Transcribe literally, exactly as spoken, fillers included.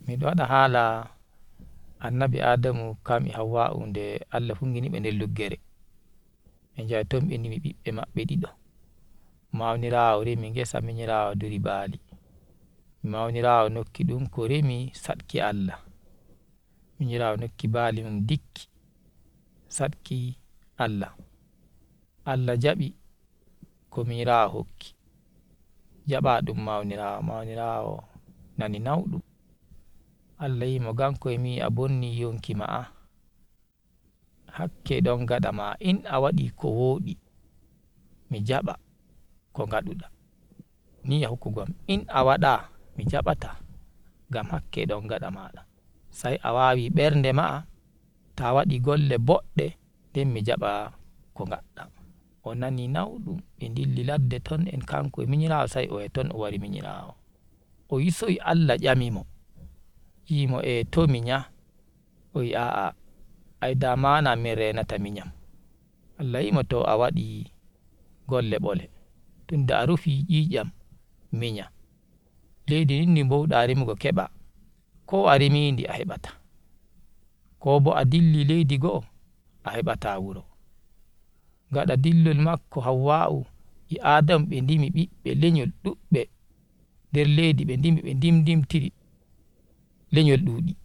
Mido wada hala annabi Adamu kam e Hawwa'u nde Allah fungini be nder luggere be njahi ton be ngimi bibbe mabbe dido. Maunirawo remi ngesa minyirawo duri bali. Maunirawo nokki dum ko remi sadki Allah. Minyirawo nokki bali mum dikki sadki Allah. Allah jabi ko minyirawo hokki jaba dum maunirawo, maunirawo nani naudum. Allah wi mo ngam koye mi yi a bonni yonki ma'a hakke don ngada ma in a wadi ko wodi mi jaba ko ngaduda niyya hokkugo am in a wada mi jabata ngam hakke don ngada mada sai a wawi bernde ma'a ta wadi golle bodde nden mi jaba ko ngadda. O nani naudum be dilli ladde ton en kanko e minyirawo sai o yahi ton o wari minyirawo o yisoyi Allah nyami mo wi mo e to minya o wi a'a ai dama na min renata minyam. Allah wi mo to a wadi golle bole tunda a rufi nyi'nyam minya leydi ndin ndi mbowda remugo keba ko a remi ndi a hebata ko bo a dilli leydi go'o a hebata wuro. Ngada dillol makko Hawwa'u e Adamu be ndimi bibbe lenyol dubbe nder leydi be ndimi be ndimndimtiri lenyol dudi